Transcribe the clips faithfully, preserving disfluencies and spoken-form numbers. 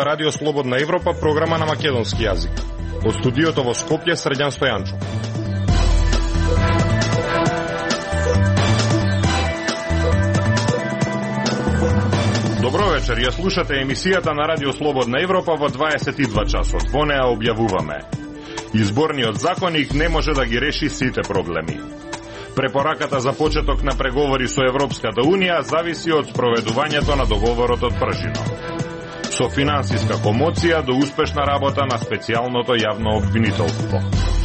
Ова Радио Слободна Европа, програма на македонски јазик. Од студиото во Скопје, Срđan Стојанчо. Добро вечер, ја слушате емисијата на Радио Слободна Европа во дваесет и два часот. Во неа објавуваме: Изборниот законник не може да ги реши сите проблеми. Препораката за почеток на преговори со Европската Унија зависи од спроведувањето на договорот од пржино. Со финансиска комоција до успешна работа на специјалното јавно обвинителство.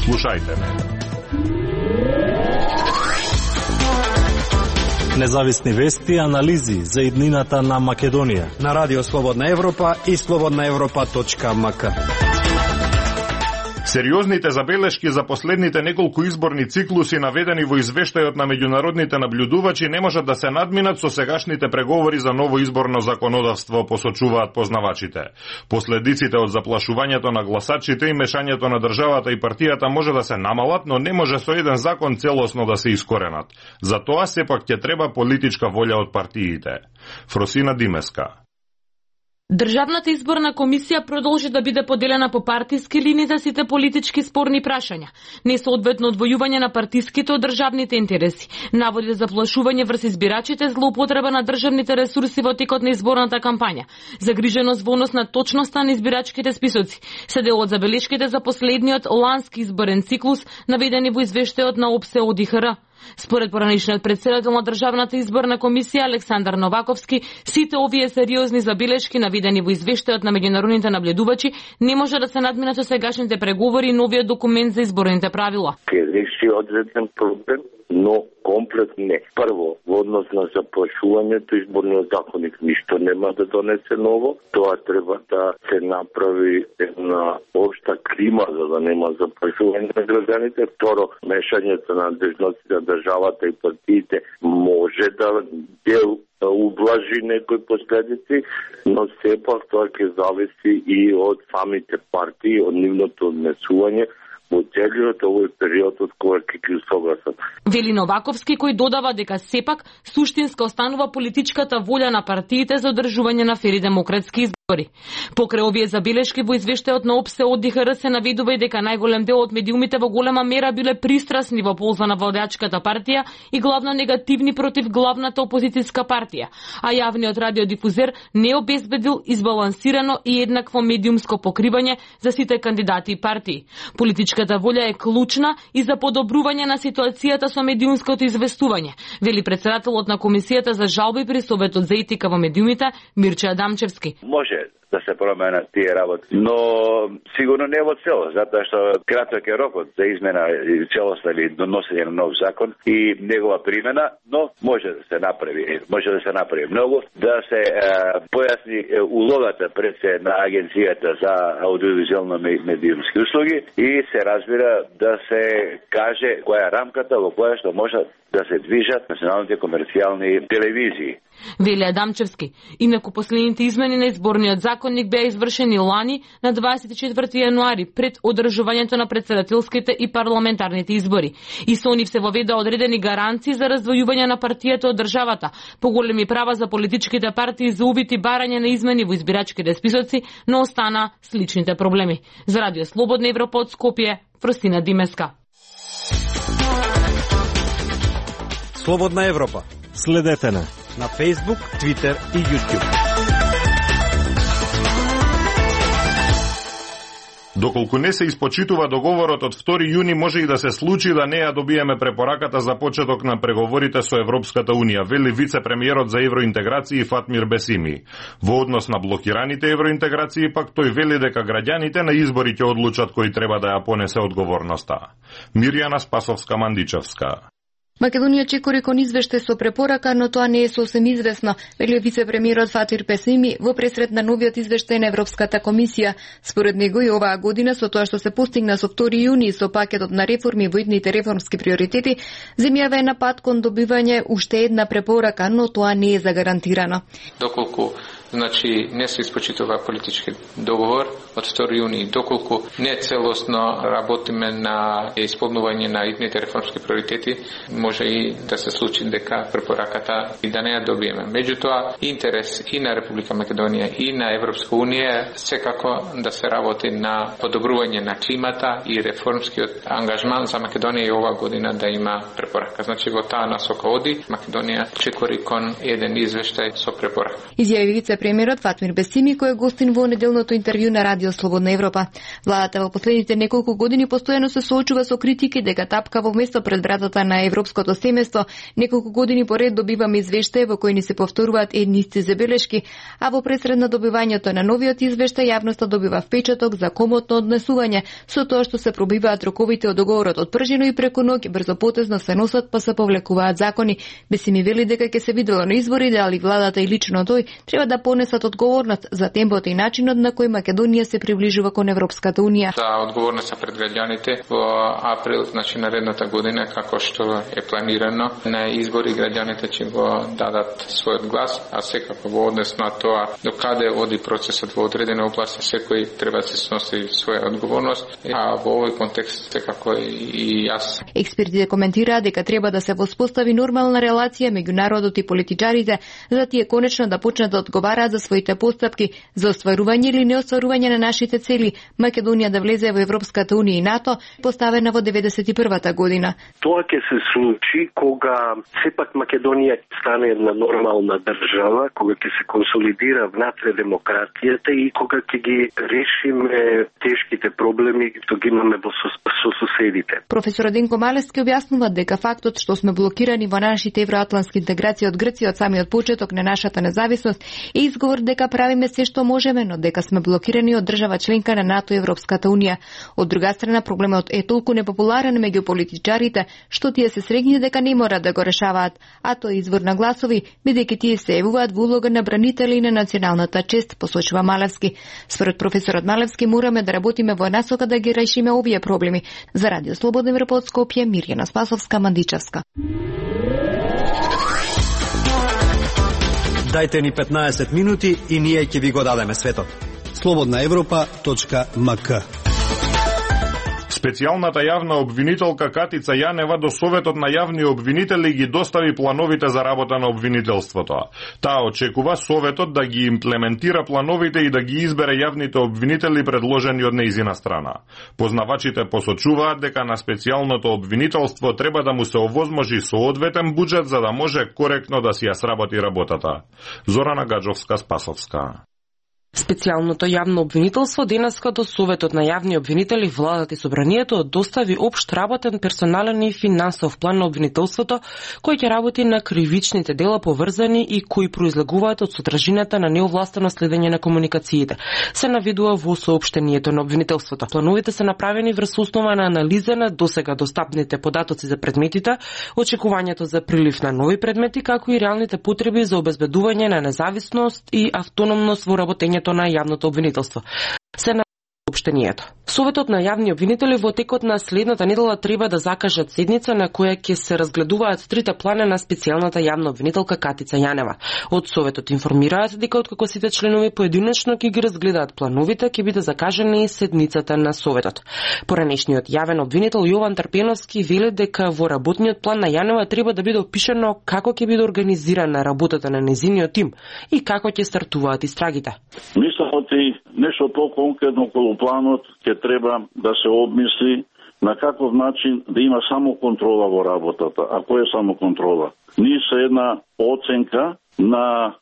Слушајте ме. Независни вести и анализи за иднината на Македонија на Радио Слободна Европа и слободна европа точка ем ка. Сериозните забелешки за последните неколку изборни циклуси наведени во извештајот на меѓународните наблюдувачи не можат да се надминат со сегашните преговори за ново изборно законодавство, посочуваат познавачите. Последиците од заплашувањето на гласачите и мешањето на државата и партијата може да се намалат, но не може со еден закон целосно да се искоренат. За тоа сепак ќе треба политичка волја од партиите. Фросина Димеска. Државната изборна комисија продолжи да биде поделена по партиски линии за сите политички спорни прашања, несоодветно одвојување на партиските од државните интереси, наводи за заплашување врз избирачите, злоупотреба на државните ресурси во текот на изборната кампања, загриженост во однос на точноста на избирачките списоци, се дел од забелешките за последниот лански изборен циклус, наведени во извештајот на ОПСЕ од И Х Р. Според поранишниот председател на Државната изборна комисија Александар Новаковски, сите овие сериозни забелешки наведени во извештајот на меѓународните наблюдувачи не може да се надминат со сегашните преговори и новиот документ за изборните правила. Ке реши одреден проблем, но комплет не. Прво, во однос на заплашувањето, изборниот законник ништо нема да донесе ново. Тоа треба да се направи една општа клима за да нема заплашување на граѓаните. Второ, мешањето на надежностите на државата и партиите може да дел да ублажи некои последици, но сепак тоа ќе зависи и од самите партии, од нивното однесување во целиот овој период од кога ќе ги согласат. Вели Новаковски, кој додава дека сепак суштинска останува политичката волја на партиите за одржување на фери демократски избори. Покрај овие забелешки во извештајот на ОПСЕ од И Х Р се наведува и дека најголем дел од медиумите во голема мера биле пристрасни во полза на владеачката партија и главно негативни против главната опозицијска партија, а јавниот радиодифузер не обезбедил избалансирано и еднакво медиумско покривање за сите кандидати и партии. Политичката волја е клучна и за подобрување на ситуацијата со медиумското известување, вели председателот на Комисијата за жалби при Советот за етика во медиумите Мирче Адамчевски. Може да се променат тие работи, но сигурно не во цело, затоа што краток е рокот за измена и целоста или доносење на нов закон и негова примена, но може да се направи, може да се направи многу, да се е, појасни е, улогата пред се на Агенцијата за аудиовизуелно медиумски услуги и се разбира да се каже која е рамката во која што може да се движат националните комерцијални телевизии. Вели Адамчевски. Инаку последните измени на изборниот законник беа извршени лани на дваесет и четврти јануари пред одржувањето на претседателските и парламентарните избори. И со нив се воведа одредени гаранции за раздвојување на партијата од државата, поголеми права за политичките партии за увид и барање на измени во избирачките списоци, но остана сличните проблеми. За Радио Слободна Европа од Скопје, Фросина Димеска. Слободна Европа. Следете на на Facebook, Twitter и YouTube. Доколку не се испочитува договорот од втори јуни, може и да се случи да не ја добиеме препораката за почеток на преговорите со Европската Унија, вели вице-премиерот за евроинтеграција Фатмир Бесими. Во однос на блокираните евроинтеграции, пак тој вели дека граѓаните на избори ќе одлучат кој треба да ја понесе одговорноста. Мирјана Спасовска-Мандичевска. Македонија чекори кон извештај со препорака, но тоа не е сосем известно, вели вице-премиерот Фатир Бесими во пресред на новиот извештај на Европската комисија. Според него и оваа година со тоа што се постигна со втори јуни со пакетот на реформи во идните реформски приоритети, земјава е на пат кон добивање уште една препорака, но тоа не е загарантирано. Доколку значи не се испочитува политички договор, од втори јуни, доколку не целосно работиме на исполнување на итните реформски приоритети, може и да се случи дека препораката и да не ја добиеме. Меѓутоа, интерес и на Република Македонија и на Европска унија секако да се работи на подобрување на климата и реформскиот ангажман за Македонија и оваа година да има препорака. Значи во таа насока оди, Македонија чекори кон еден извештај со препорака. Изјави вице-премиерот Фатмир Бесими, кој е гостин во неделното интервју на Радио Слободна Европа. Владата во последните неколку години постојано се соочува со критики дека тапка во место пред вратата на европското семејство. Неколку години поред добиваме извештаи во кои ни се повторуваат едни исти забелешки, а во пресред на добивањето на новиот извештај јавноста добива впечаток за комотно однесување со тоа што се пробиваат роковите од договорот од пржино и преку ноќ брзопотезно се носат па се повлекуваат закони. Бесими вели дека ќе се видело на изборите, али владата и лично тој треба да понесат одговорност за темпото и начинот на кој Македонија се приближува кон Европската унија. За одговорност пред граѓаните во април, значи наредната година, како што е планирано, на избори граѓаните ќе го дадат својот глас, а секако во однес на тоа докаде оди процесот во одредена област, секој треба да се сноси своја одговорност, а во овој контекст секако и јас. Експертите коментираат дека треба да се воспостави нормална релација меѓу народот и политичарите, за тие конечно да почнат да одговараат за своите постапки за остварување или неостварување на нашите цели, Македонија да влезе во Европската унија и НАТО, поставена во деветдесет и првата година. Тоа ќе се случи кога сепак Македонија стане една нормална држава, кога ќе се консолидира внатре демократијата и кога ќе ги решиме тешките проблеми што ги имаме во со, со соседите. Професор Денко Малевски објаснува дека фактот што сме блокирани во нашите евроатлантски интеграции од Грција од самиот почеток на нашата независност е изговор дека правиме се што можеме, но дека сме блокирани од држава членка на НАТО и Европската унија. Од друга страна, проблемот е толку непопуларен меѓу политичарите, што тие се срегни дека не мора да го решаваат, а тоа е извор на гласови, бидејќи тие се јавуваат во улога на бранители на националната чест, посочува Малевски. Според професорот Малевски, мораме да работиме во насока да ги решиме овие проблеми. За Радио Слободна Европа од Скопје, Мирјана Спасовска, Мандичевска. Дајте ни петнаесет минути и ние ќе ви го дадеме светот. слободна европа точка ем ка. Специјалната јавна обвинителка Катица Јанева до Советот на јавни обвинители ги достави плановите за работа на обвинителството. Таа очекува Советот да ги имплементира плановите и да ги избере јавните обвинители предложени од нејзина страна. Познавачите посочуваат дека на специјалното обвинителство треба да му се овозможи соодветен буџет за да може коректно да си ја сработи работата. Зорана Гаджовска-Спасовска. Специјалното јавно обвинителство денеска до Советот на јавни обвинители, владата и собранието достави општ работен, персонален и финансов план на обвинителството, кој ќе работи на кривичните дела поврзани и кои произлегуваат од содржината на неовластено следење на комуникациите. Се наведува во соопштението на обвинителството. Плановите се направени врз основа на анализа на досега достапните податоци за предметите, очекувањето за прилив на нови предмети, како и реалните потреби за обезбедување на независност и автономност во работењето на јавното обвинителство. Се на обштенијето. Советот на јавни обвинители во текот на следната недела треба да закажат седница на која ќе се разгледуваат трите плана на специјалната јавна обвинителка Катица Јанева. Од Советот информираат дека откако сите членови поединечно ќе ги разгледаат плановите, ќе биде закажана и седницата на Советот. Поранешниот јавен обвинител Јован Трпеновски вели дека во работниот план на Јанева треба да биде опишано како ќе биде организирана работата на незиниот тим и како ќе стартуваат истрагите. Мислам оти нешто по-конкретно околу планот ќе треба да се обмисли на каков начин да има само контрола во работата. А кој е само контрола? Ние се една оценка на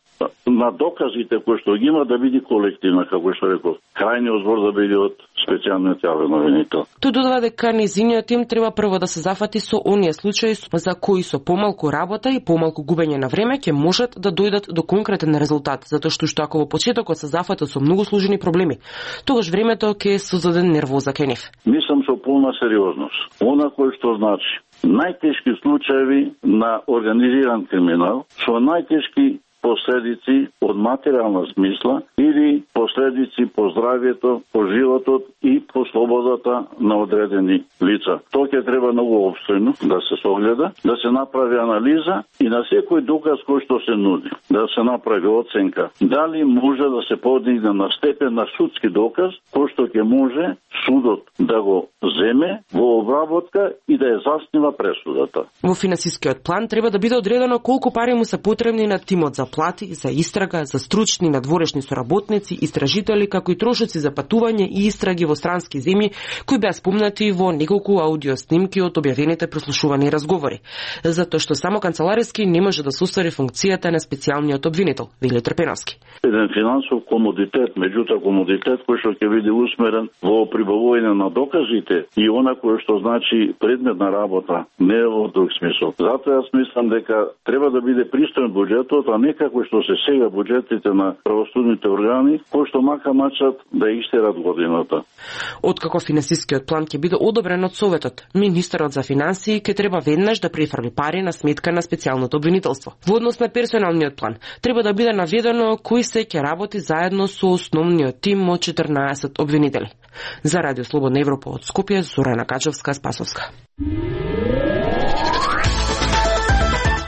на доказите кои што ги има да биде колективна, како што реков. Крајниот збор да биде од специјалниот јавен обвинител. Тој додава дека незиниот тим треба прво да се зафати со оние случаи за кои со помалку работа и помалку губење на време ќе можат да дојдат до конкретен резултат, затоа што што ако во почетокот се зафатат со многу сложени проблеми, тогаш времето ќе создаде нервоза кај нив. Мислам со полна сериозност. Она кој што значи најтешки случаи на организиран криминал, со најтешки последици од материјална смисла или последици по здравието, по животот и по слободата на одредени лица. Тоа ќе треба многу обстойно да се согледа, да се направи анализа и на секој доказ кој што се нуди, да се направи оценка дали може да се подигне на степен на судски доказ, кој што ќе може судот да го земе во обработка и да ја заснива пресудата. Во финансискиот план треба да биде одредено колку пари му се потребни на тимот за плати, за истрага, за стручни надворешни соработници, истражители, како и трошоци за патување и истраги во странски земји, кои беа спомнати во неколку аудио снимки од објавените прослушувани разговори. Затоа што само канцелариски не може да се оствари функцијата на специјалниот обвинител, вели Трпеновски. Еден финансов комодитет, меѓутоа комодитет кој што ќе биде усмерен во прибавување на доказите и она кој што значи предметна работа, не во друг смисол. Затоа јас мислам дека треба да биде пристоен буџетот, а не како што се сега буџетите на правосудните органи, кои што мака мачат да истерат годината. Откако финансискиот план ќе биде одобрен од Советот, министерот за финансии ќе треба веднаш да префрли пари на сметка на специјалното обвинителство. Во однос на персоналниот план, треба да биде наведено кој се ќе работи заедно со основниот тим од четрнаесет обвинители. За Радио Слободна Европа од Скопје, Зорана Качевска-Спасовска.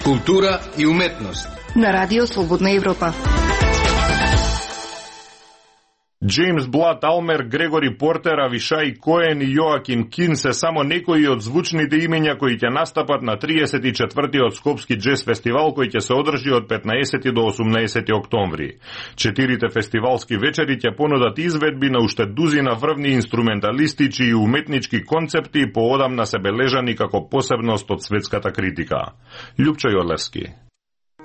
Култура и уметност на Радио Слободна Европа. Джеймс Блад Алмер, Грегори Портер, Авишај Коен и Јоаким Кин се само некои од звучните имења кои ќе настапат на триесет и четвртиот Скопски джез фестивал кој ќе се одржи од петнаесети до осумнаесети октомври. Четирите фестивалски вечери ќе понудат изведби на уште дузина врвни инструменталистички и уметнички концепти поодамна се бележани како посебност од светската критика. Љупчо Јолевски.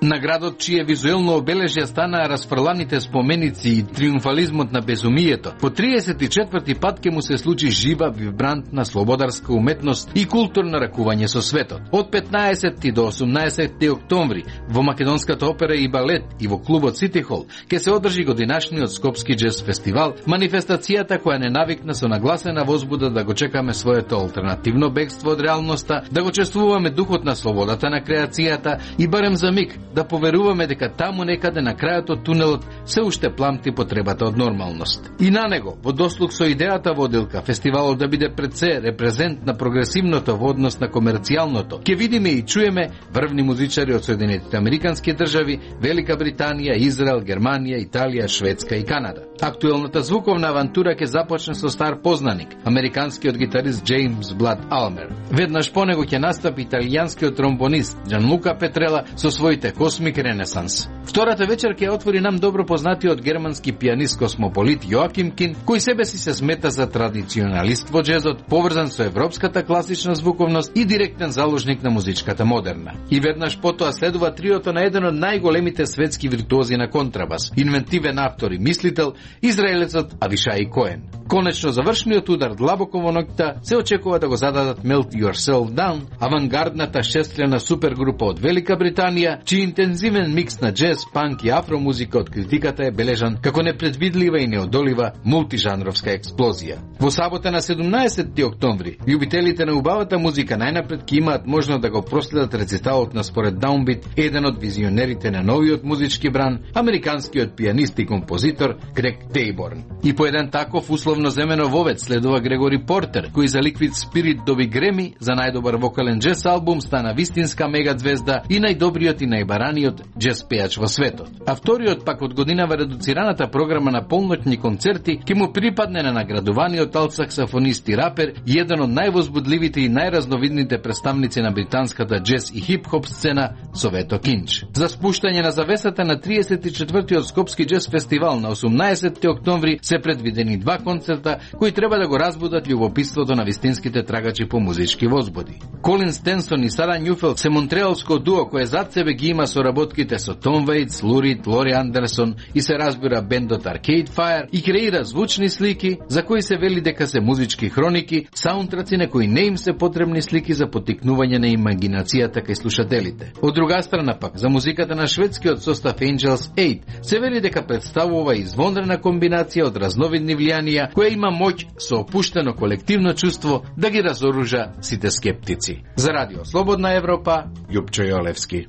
Наградот, чие визуелно обележја станаа расфрланите споменици и триумфализмот на безумието, по триесет и четврти пат ќе му се случи жива, вибрантна, слободарска уметност и културно ракување со светот. Од петнаесети до осумнаесети октомври во Македонската опера и балет и во клубот Сити Хол ќе се одржи годинашниот Скопски джез фестивал, манифестацијата која не навикна со нагласена возбуда да го чекаме своето алтернативно бегство од реалноста, да го чествуваме духот на слободата на креацијата и барем за миг да поверуваме дека таму некаде на крајот од тунелот се уште пламти потребата од нормалност. И на него, во дослуг со идејата водилка, фестивалот да биде пред се репрезент на прогресивното во однос на комерцијалното, ќе видиме и чуеме врвни музичари од Соединетите Американски држави, Велика Британија, Израел, Германија, Италија, Шведска и Канада. Актуелната звуковна авантура ќе започне со стар познаник, американскиот гитарист Джеймс Блад Алмер. Веднаш по него ќе настапи италијанскиот тромбонист Джанлука Петрела со своите Космик Ренесанс. Втората вечер ќе отвори нам добро познатиот германски пианист космополит Јоаким Кин, кој себе си се смета за традиционалист во джезот, поврзан со европската класична звуковност и директен заложник на музичката модерна. И веднаш потоа следува триото на еден од најголемите светски виртуози на контрабас, инвентивен автор и мислител, израелецот Авишај Коен. Конечно завршниот удар длабоко во ноќта се очекува да го зададат Melt Yourself Down, авангардната шестлена супергрупа од Велика Британија, чиј интензивен микс на джез, панк и афромузика од критиката е бележан како непредвидлива и неодолива мултижанровска експлозија. Во сабота на седумнаесети октомври, љубителите на убавата музика најнапред ќе имаат можност да го проследат рециталот на според Даунбит, еден од визионерите на новиот музички бран, американскиот пианист и композитор Грег Тейборн. И по еден таков условно земено вовец следува Грегори Портер, кој за Liquid Spirit доби Греми за најдобар вокален джез албум, стана вистинска мегазвезда и најдобриот и најбараниот джез пејач во светот. А вториот пак од годинава редуцираната програма на полноќни концерти ќе му припадне на наградуваниот алт-саксофонист и рапер и еден од највозбудливите и најразновидните представници на британската джез и хип-хоп сцена Совето Кинч. За спуштање на завесата на триесет и четвртиот Скопски джез фестивал на осумнаесети октомври се предвидени два концерта кои треба да го разбудат љубопитството на вистинските трагачи по музички возбуди. Колин Стенсон и Сара Њуфелд се монтреалско дуо кое зад себе ги има соработките со Том Вейтс, Лурид, Лори Андерсон и се разбира бендот Arcade Fire и креира звучни слики за кои се вели дека се музички хроники, саундтраци на кои не им се потребни слики за поттикнување на имагинацијата кај слушателите. Од друга страна пак, за музиката на шведскиот состав Angels eight се вели дека представува извонредна комбинација од разновидни влијанија која има моќ со опуштено колективно чувство да ги разоружа сите скептици. За Радио Слободна Европа, Љупчо Јолевски.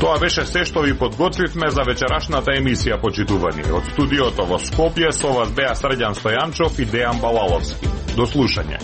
Тоа беше се што ви подготвивме за вечерашната емисија, почитувани. Од студиото во Скопје со вас беа Срđan Стојанчов и Дејан Балаловски. До слушање.